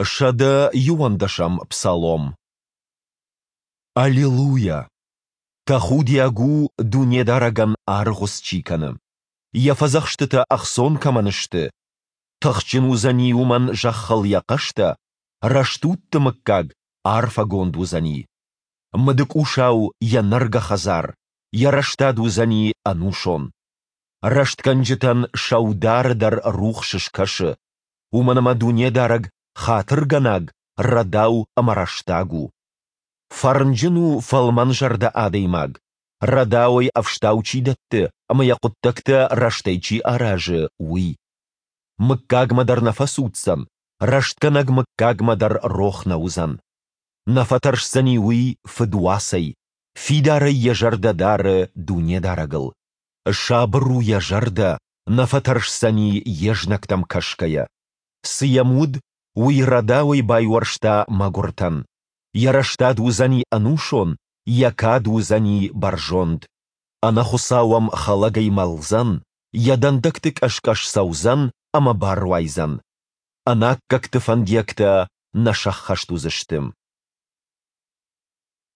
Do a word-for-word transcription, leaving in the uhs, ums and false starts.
Сӕдӕ иуӕндӕсӕм псалом. Аллилуйа! Тӕхудиаг у, Дунедарӕгӕн аргъуыц чи кӕны, Йӕ фӕдзӕхстытӕ ӕхцон кӕмӕн сты. Тыхджын уыдзӕни уымӕн зӕххыл йӕ хъӕстӕ, рӕстудты мыггаг арфӕгонд уыдзӕни. Мыдыкъусау йӕ нӕргӕ хӕдзар, йӕ рӕстад уыдзӕни ӕнусон. Рӕстгӕнджытӕн сӕудары дӕр рухс скӕсы, уымӕн ӕмӕ Дунедарӕг хатыргӕнаг, рӕдау ӕмӕ рӕстаг у. Фӕрнджын у фӕлмӕнзӕрдӕ адӕймаг, рӕдауӕй ӕфстау чи дӕтты ӕмӕ йӕ хъуыддӕгтӕ рӕстӕй чи аразы, уый. Мыггагмӕ дӕр нӕ фӕцуддзӕн, рӕстгӕнӕг мыггагмӕ дӕр рох нӕ уыдзӕн. Нӕ фӕтӕрсдзӕни уый фыдуацӕй, фидарӕй йӕ зӕрдӕ дары Дунедарӕгыл. Сабыр у йӕ зӕрдӕ, нӕ фӕтӕрсдзӕни йе знӕгтӕм кӕсгӕйӕ. Цы йӕм уыд, уый рӕдауӕй байуӕрста мӕгуыртӕн. Йӕ рӕстад уыдзӕни ӕнусон, йӕ кад уыдзӕни бӕрзонд. Ӕнӕхуыцау ӕм хӕлӕгӕй мӕлдзӕн, йӕ дӕндӕгты къӕс-къӕс цӕудзӕн ӕмӕ баруайдзӕн. Ӕнаккӕгты фӕндиӕгтӕ нӕ сӕххӕст уыдзысты.